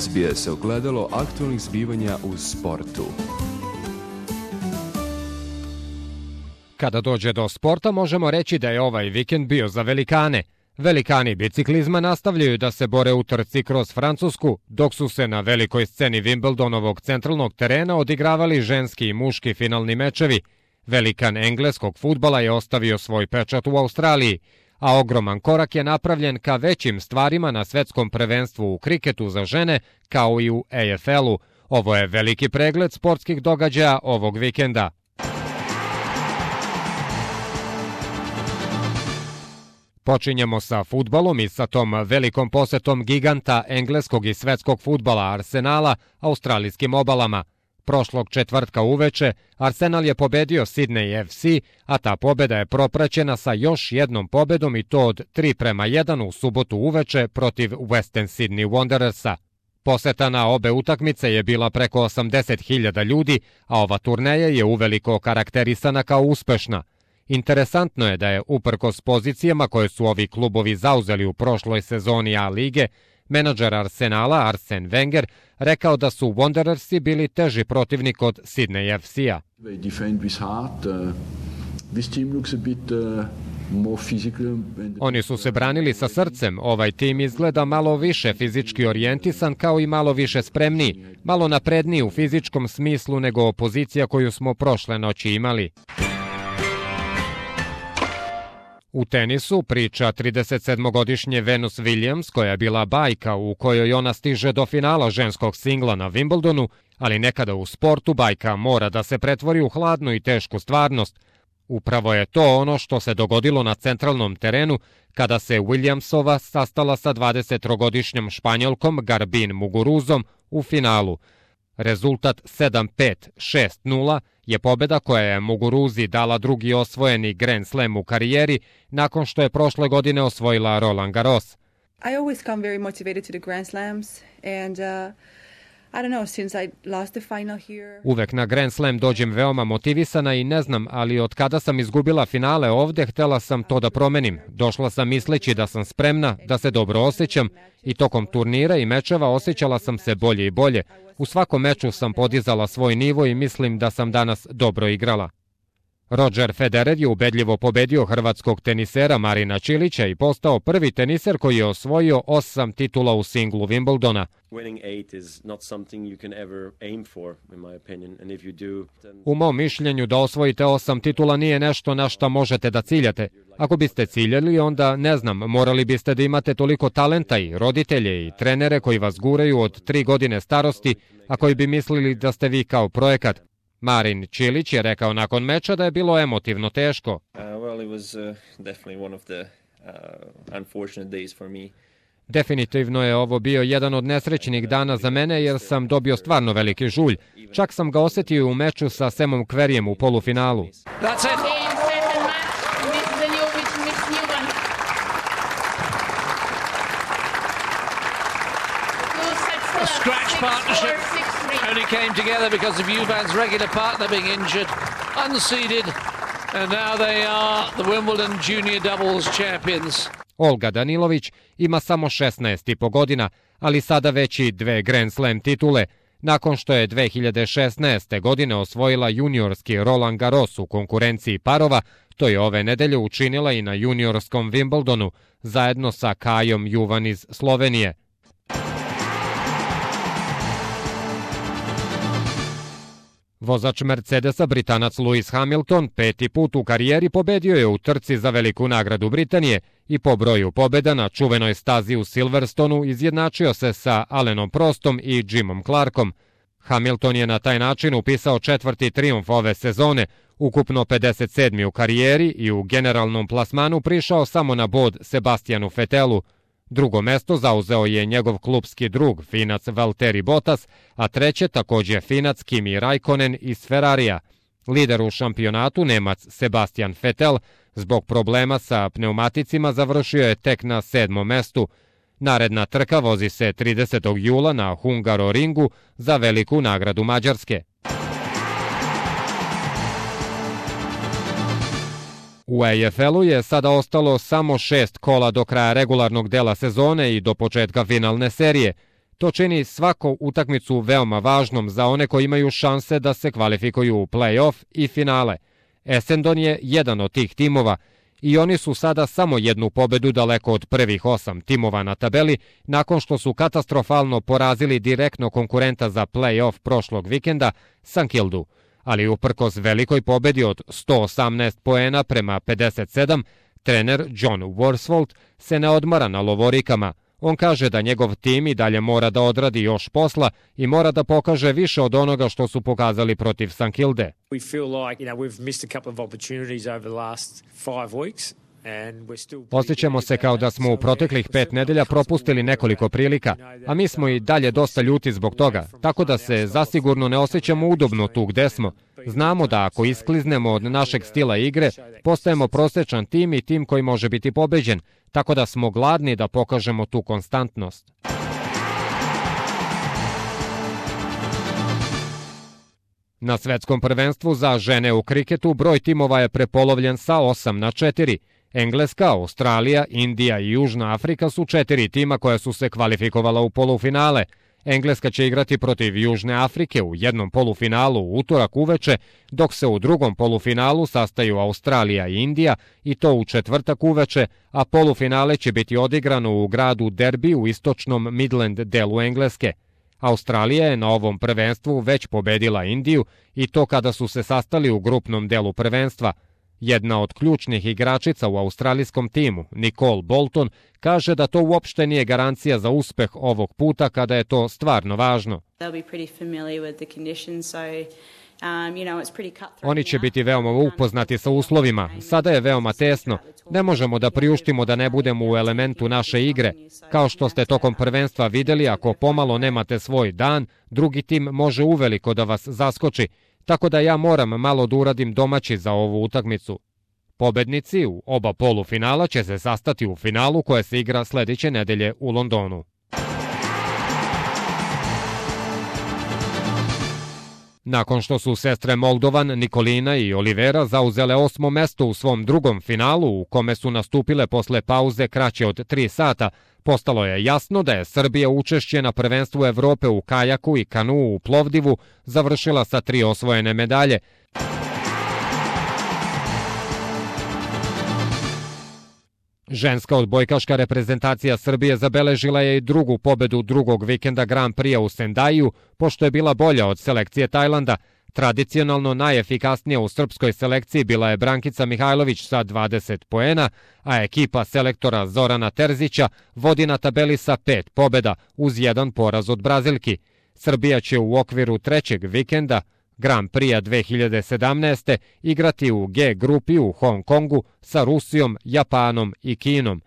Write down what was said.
SBS ogledalo aktualnih zbivanja u sportu. Kada dođe do sporta, možemo reći da je ovaj vikend bio za velikane. Velikani biciklizma nastavljaju da se bore u trci kroz Francusku, dok su se na velikoj sceni Wimbledonovog centralnog terena odigravali ženski i muški finalni mečevi. Velikan engleskog fudbala je ostavio svoj pečat u Australiji, a ogroman korak je napravljen ka većim stvarima na svetskom prvenstvu u kriketu za žene, kao i u AFL-u. Ovo je veliki pregled sportskih događaja ovog vikenda. Počinjemo sa fudbalom i sa tom velikom posetom giganta engleskog i svetskog fudbala Arsenala australijskim obalama. Prošlog četvrtka uveče Arsenal je pobedio Sydney FC, a ta pobeda je propraćena sa još jednom pobedom i to od 3-1 u subotu uveče protiv Western Sydney Wanderersa. Poseta na obe utakmice je bila preko 80.000 ljudi, a ova turneja je uveliko karakterisana kao uspešna. Interesantno je da je, uprkos pozicijama koje su ovi klubovi zauzeli u prošloj sezoni A lige, menadžer Arsenala Arsene Wenger rekao da su Wanderersi bili teži protivnik od Sydney FC-a. Oni su se branili sa srcem, ovaj tim izgleda malo više fizički orijentisan kao i malo više spremniji, malo napredniji u fizičkom smislu nego opozicija koju smo prošle noći imali. U tenisu priča 37-godišnje Venus Williams, koja je bila bajka u kojoj ona stiže do finala ženskog singla na Wimbledonu, ali nekada u sportu bajka mora da se pretvori u hladnu i tešku stvarnost. Upravo je to ono što se dogodilo na centralnom terenu kada se Williamsova sastala sa 23-godišnjom Španjolkom Garbine Muguruzom u finalu. Rezultat 7-5, 6-0 je pobeda koja je Muguruzi dala drugi osvojeni Grand Slam u karijeri nakon što je prošle godine osvojila Roland Garros. I always come very motivated to the Grand Slams and I don't know, since I lost the final here. Uvek na Grand Slam dođem veoma motivisana i ne znam, ali od kada sam izgubila finale ovde, htela sam to da promenim. Došla sam misleći da sam spremna, da se dobro osjećam i tokom turnira i mečeva osjećala sam se bolje i bolje. U svakom meču sam podizala svoj nivo i mislim da sam danas dobro igrala. Roger Federer je ubedljivo pobedio hrvatskog tenisera Marina Čilića i postao prvi teniser koji je osvojio 8 titula u singlu Wimbledona. U mom mišljenju da osvojite 8 titula nije nešto na šta možete da ciljate. Ako biste ciljali, onda ne znam, morali biste da imate toliko talenta i roditelje i trenere koji vas guraju od 3 godine starosti, a koji bi mislili da ste vi kao projekat. Marin Čilić je rekao nakon meča da je bilo emotivno teško. Definitivno je ovo bio jedan od nesrećnih dana za mene jer sam dobio stvarno veliki žulj. Čak sam ga osjetio u meču sa Semom Kverijem u polufinalu. Scratch partnership only came together because of Juvan's regular partner being injured, unseeded, and now they are the Wimbledon Junior Doubles champions. Olga Danilović ima samo 16,5 godina, ali sada već i 2 Grand Slam titule, nakon što je 2016. godine osvojila juniorski Roland Garros u konkurenciji parova. To je ove nedelje učinila i na juniorskom Wimbledonu, zajedno sa Kajom Juvan iz Slovenije. Vozač Mercedesa, Britanac Lewis Hamilton, 5. put u karijeri pobedio je u trci za veliku nagradu Britanije i po broju pobjeda na čuvenoj stazi u Silverstonu izjednačio se sa Alanom Prostom i Jimom Clarkom. Hamilton je na taj način upisao 4. trijumf ove sezone, ukupno 57. u karijeri i u generalnom plasmanu prišao samo na bod Sebastianu Vettelu. Drugo mesto zauzeo je njegov klupski drug, Finac Valtteri Bottas, a treće takođe Finac Kimi Raikkonen iz Ferrarija. Lider u šampionatu, Nemac Sebastian Vettel, zbog problema sa pneumaticima završio je tek na 7. mestu. Naredna trka vozi se 30. jula na Hungaroringu za veliku nagradu Mađarske. U AFL-u je sada ostalo samo 6 kola do kraja regularnog dela sezone i do početka finalne serije. To čini svaku utakmicu veoma važnom za one koji imaju šanse da se kvalifikuju u play-off i finale. Essendon je jedan od tih timova i oni su sada samo jednu pobedu daleko od prvih 8 timova na tabeli nakon što su katastrofalno porazili direktno konkurenta za play-off prošlog vikenda, St Kildu. Ali uprkos velikoj pobedi od 118 poena prema 57, trener John Worsfold se ne odmara na lovorikama. On kaže da njegov tim i dalje mora da odradi još posla i mora da pokaže više od onoga što su pokazali protiv St Kilde. Osjećamo se kao da smo u proteklih 5 nedelja propustili nekoliko prilika, a mi smo i dalje dosta ljuti zbog toga, tako da se zasigurno ne osjećamo udobno tu gde smo. Znamo da ako iskliznemo od našeg stila igre, postajemo prosečan tim i tim koji može biti pobeđen, tako da smo gladni da pokažemo tu konstantnost. Na svetskom prvenstvu za žene u kriketu broj timova je prepolovljen sa 8-4. Engleska, Australija, Indija i Južna Afrika su 4 tima koja su se kvalifikovala u polufinale. Engleska će igrati protiv Južne Afrike u jednom polufinalu u utorak uveče, dok se u drugom polufinalu sastaju Australija i Indija i to u četvrtak uveče, a polufinale će biti odigrano u gradu Derby u istočnom Midland delu Engleske. Australija je na ovom prvenstvu već pobedila Indiju i to kada su se sastali u grupnom delu prvenstva. Jedna od ključnih igračica u australijskom timu, Nicole Bolton, kaže da to uopšte nije garancija za uspeh ovog puta kada je to stvarno važno. Oni će biti veoma upoznati sa uslovima. Sada je veoma tesno. Ne možemo da priuštimo da ne budemo u elementu naše igre. Kao što ste tokom prvenstva videli, ako pomalo nemate svoj dan, drugi tim može uveliko da vas zaskoči. Tako da ja moram malo da uradim domaći za ovu utakmicu. Pobednici u oba polufinala će se sastati u finalu koje se igra sledeće nedelje u Londonu. Nakon što su sestre Moldovan, Nikolina i Olivera zauzele 8. mesto u svom drugom finalu u kome su nastupile posle pauze kraće od 3 sata, postalo je jasno da je Srbija učešće na prvenstvu Evrope u kajaku i kanuu u Plovdivu završila sa 3 osvojene medalje. Ženska odbojkaška reprezentacija Srbije zabeležila je i drugu pobedu drugog vikenda Grand Prix u Sendaju, pošto je bila bolja od selekcije Tajlanda. Tradicionalno najefikasnija u srpskoj selekciji bila je Brankica Mihajlović sa 20 poena, a ekipa selektora Zorana Terzića vodi na tabeli sa 5 pobeda uz 1 poraz od Brazilki. Srbija će u okviru trećeg vikenda Grand Prix 2017. igrati u G grupi u Hong Kongu sa Rusijom, Japanom i Kinom.